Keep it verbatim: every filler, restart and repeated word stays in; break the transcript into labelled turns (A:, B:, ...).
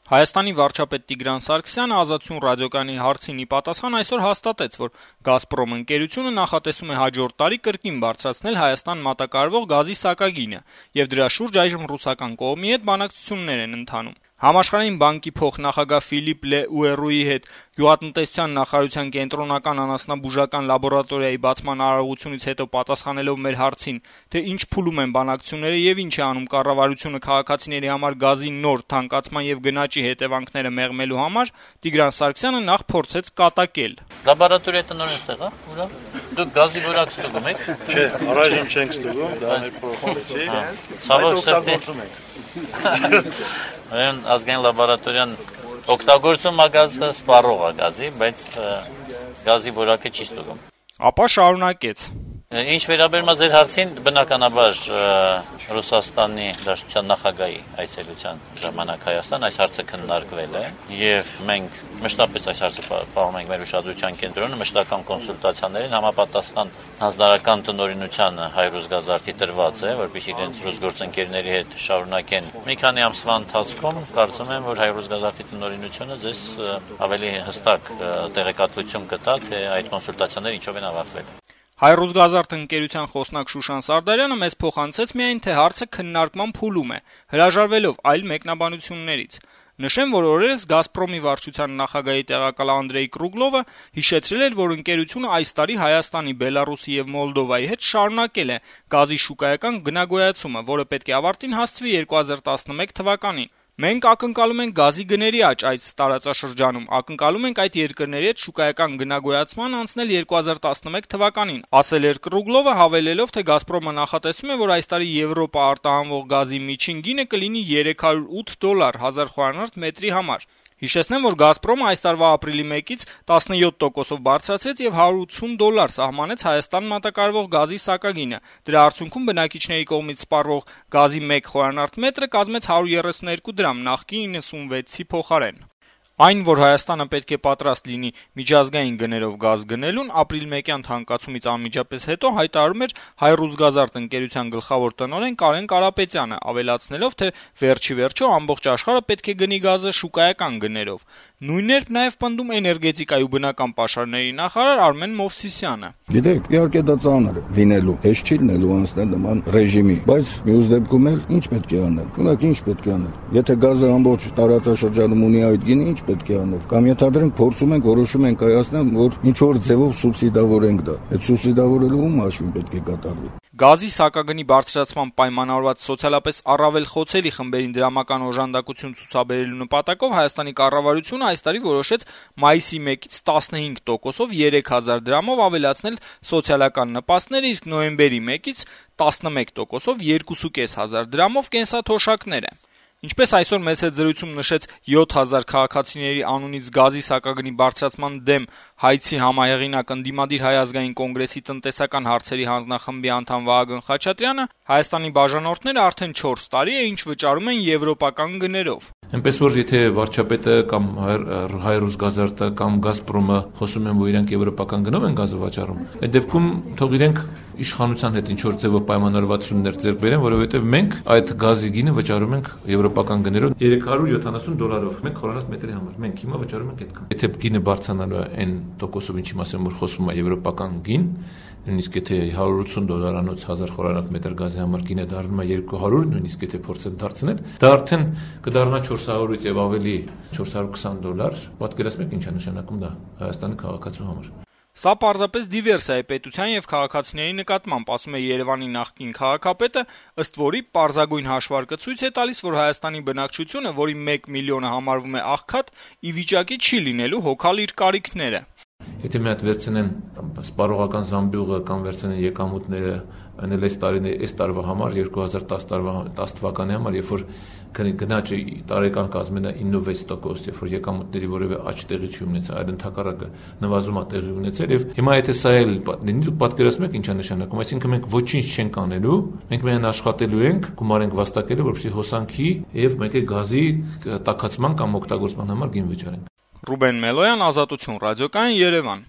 A: Հայաստանի վարչապետ Տիգրան Սարգսյանը Ազատություն ռադիոկայանի հարցին ի պատասխան այսօր հաստատեց, որ «Գազպրոմ» ընկերությունը նախատեսում է հաջորդ տարի կրկին բարձրացնել Հայաստան մատակարարվող գազի սակագինը, եւ դրա շուրջ այժմ ռուսական կողմի հետ բանակցություններ են ընթանում։ Համաշխարհային բանկի փոխնախագահ Ֆիլիպ Լե Ուերուի հետ գյուղատնտեսության նախարարության կենտրոնական անասնաբուժական լաբորատորիայի բացման արարողությունից հետո պատասխանելով մեր հարցին, թե ինչ փուլում են բանակցությունները եւ ինչ է անում կառավարությունը քաղաքացիների համար գազի նոր թանկացման եւ գնաճի հետևանքները մեղմելու համար, Տիգրան Սարգսյանը նախ փորձեց կատակել.
B: Լաբորատորիա տնօրեն ստեղ է, ուրա։ Դուք գազի որակ ստուգում եք։
C: Չէ, առայժմ չենք ստուգում, դա մեր փոխանցի։
B: Ցավոք սրտի։ Այն ազգային լաբորատորիան օգտագործում է գազը, սպառող է գազի, բայց գազի որակը չի ստուգում։
A: Ապա շարունակեց.
B: Ինչ վերաբերում է ձեր հարցին, բնականաբար Ռուսաստանի Դաշնության նախագահի այցելության ժամանակ Հայաստան այս հարցը քննարկվել է եւ մենք մշտապես այս հարցը պահում ենք մեր ուշադրության կենտրոնում, մշտական կոնսուլտացիաներին համապատասխան հանձնարարական տնօրինությանը Հայրուսգազարդի տրված է, որպեսզի իրենց ռուս գործընկերների հետ շարունակեն։ Մի քանի ամսվա ընթացքում կարծում եմ, որ Հայրուսգազարդի տնօրինությունը ձեզ ավելի հստակ տեղեկատվություն կտա, թե այդ կոնսուլտացիաները ինչով են ավարտվել։
A: Հայրուսգազարդ ընկերության խոսնակ Շուշան Սարդարյանը մեզ փոխանցեց միայն, թե հարցը քննարկման փուլում է, հրաժարվելով այլ մեկնաբանություններից։ Նշեմ, որ օրերս «Գազպրոմի» վարչության նախագահի տեղակալ Անդրեյ Կրուգլովը հիշեցրել էր, որ ընկերությունը այս տարի Հայաստանի, Բելարուսի եւ Մոլդովայի հետ շարունակել է գազի շուկայական գնագոյացումը, որը պետք է ավարտին հասցվի երկու հազար տասնմեկ թվականին։ Մենք ակնկալում ենք գազի գների աճ այս տարածաշրջանում, ակնկալում ենք այդ երկրների հետ շուկայական գնագոյացման անցնել երկու հազար տասնմեկ թվականին, ասել էր Կրուգլովը, հավելելով, թե «Գազպրոմը» նախատեսում է, որ այս տարի Եվրոպա արտահանվող գազի միջին գինը կլինի երեք հարյուր ութ դոլար հազար խորանարդ մետրի համար։ Հիշեցնեմ, որ «Գազպրոմը» այս տարվա ապրիլի մեկից տասնյոթ տոկոսով բարձրացրեց եւ հարյուր ութսուն դոլար սահմանեց Հայաստան մատակարարվող գազի սակագինը։ Դրա արդյունքում բնակիչների կողմից սպառվող գազի մեկ խորանարդ մետրը կազմեց հարյուր երեսունհերկու դրամ, նախկին իննսունվեցի փոխարեն։ Այն, որ Հայաստանը պետք է պատրաստ լինի միջազգային գներով գազ գնելուն, ապրիլմեկյան թանկացումից անմիջապես հետո հայտարարում էր Հայրուսգազարդ ընկերության գլխավոր տնօրեն Կարեն Կարապետյանը, ավելացնելով, թե վերջի վերջո ամբողջ աշխարհը պետք է գնի գազը շուկայական գներով։ Նույնն էր նաեւ պնդում էներգետիկայի ու բնական պաշարների նախարար Արմեն Մովսիսյանը։
D: Գիտեք, իհարկե դա ծանր է լինելու, հեշտ չի լինելու անցնել նման ռեժիմի, բայց մյուս դեպքում էլ ինչ պետք է անել։ Ունակ ինչ պետք է անել։ Եթե գազը ամբողջ տարածաշրջանում ունի այդ գինը, ինչ պետք է անել։ Կամ ենթադրենք փորձում ենք, որոշում ենք կայացնել, որ ինչ որ ձևով սուբսիդավորենք դա։ Այդ սուբսիդավորելու ում հաշվին պետք է կատարվի։
A: Գազի սակագնի բարձրացման պայմանավորված սոցիալապես առավել խոցելի խմբերին դրամական օժանդակություն ցուցաբերելու նպատակով Հայաստանի կառավարությունը այս տարի որոշեց մայիսի մեկից տասնհինգ տոկոսով երեք հազար դրամով ավելացնել սոցիալական նպաստները, իսկ նոյեմբերի մեկից տասնմեկ տոկոսով երկու հազար պանյակ դրամով կենսաթոշակները։ Ինչպես այսօր մեծ հետ զրույցում նշեց յոթ հազար քաղաքացիների անունից գազի սակագնի բարձրացման դեմ հայցի համահեղինակ ընդդիմադիր Հայ ազգային կոնգրեսի տնտեսական հարցերի հանձնախմբի անդամ Վահագն Խաչատրյանը, Հայաստանի բաժանորդները արդեն չորս տարի է ինչ վճարում են եվրոպական գներով։
E: Այնպես որ եթե վարչապետը կամ Հայրուսգազարդը կամ Գազպրոմը խոսում են, որ իրենք եվրոպական գնով են գազը վաճառում, այդ դեպքում թող իրենք իշխանության հետ ինչ որ ձևով պայմանավորվածություններ ձեռք բերեն, որովհետև մենք այդ գազի գինը վճարում ենք եվրոպական գներով երեք հարյուր յոթանասուն դոլարով մեկ խորանարդ մետրի համար։ Մենք հիմա վճարում ենք այդքան։ Եթե գինը բարձրանալու է այն տոկոսով, ինչի մասին որ խոսում է եվրոպական գին, նույնիսկ եթե հարյուր ութսուն դոլարանոց հազար խորանարդ մետր գազի համար գինը դառնում է երկու հարյուր, նույնիսկ եթե փորձեն դարձնել, դա արդեն կդառնա չորս հարյուրից եւ ավելի չորս հարյուր քսան դոլար։ Պատկերացնեք ինչ է նշանակում դա Հայաստանի քաղաքացու համար։
A: Սա պարզապես դիվերսիա է պետության եւ քաղաքացիների նկատմամբ, ասում է Երևանի նախկին քաղաքապետը, ըստ որի պարզագույն հաշվարկը ցույց է տալիս, որ Հայաստանի բնակչությունը, որի մեկ միլիոնը համարվում է աղքատ, ի վիճակի չի լինելու հոգալ իր կարիքները։
E: Եթե մի հատ վերցնեն սպառողական զամբյուղը կամ վերցնեն եկամուտները, այնել այս տարին այս տարվա համար երկու հազար տասը թվականի համար, երբ որ գնաճը տարեկան կազմել է իննովեց տոկոս, երբ որ եկամուտների որևէ աճ տեղի չի ունեցել, այլ ընդհակառակը նվազում է տեղի ունեցել, եւ հիմա եթե սա էլ լինի, պատկերացնում եք ինչ է նշանակում, այսինքն մենք ոչինչ չենք անելու, մենք միայն աշխատելու ենք, գումար ենք վաստակելու, որպեսզի հոսանքի եւ մեկ է գազի տաքացման կամ օգտագործման համար գին վճարենք։
A: Ռուբեն Մելոյան, Ազատություն ռադիոկայան, Երևան։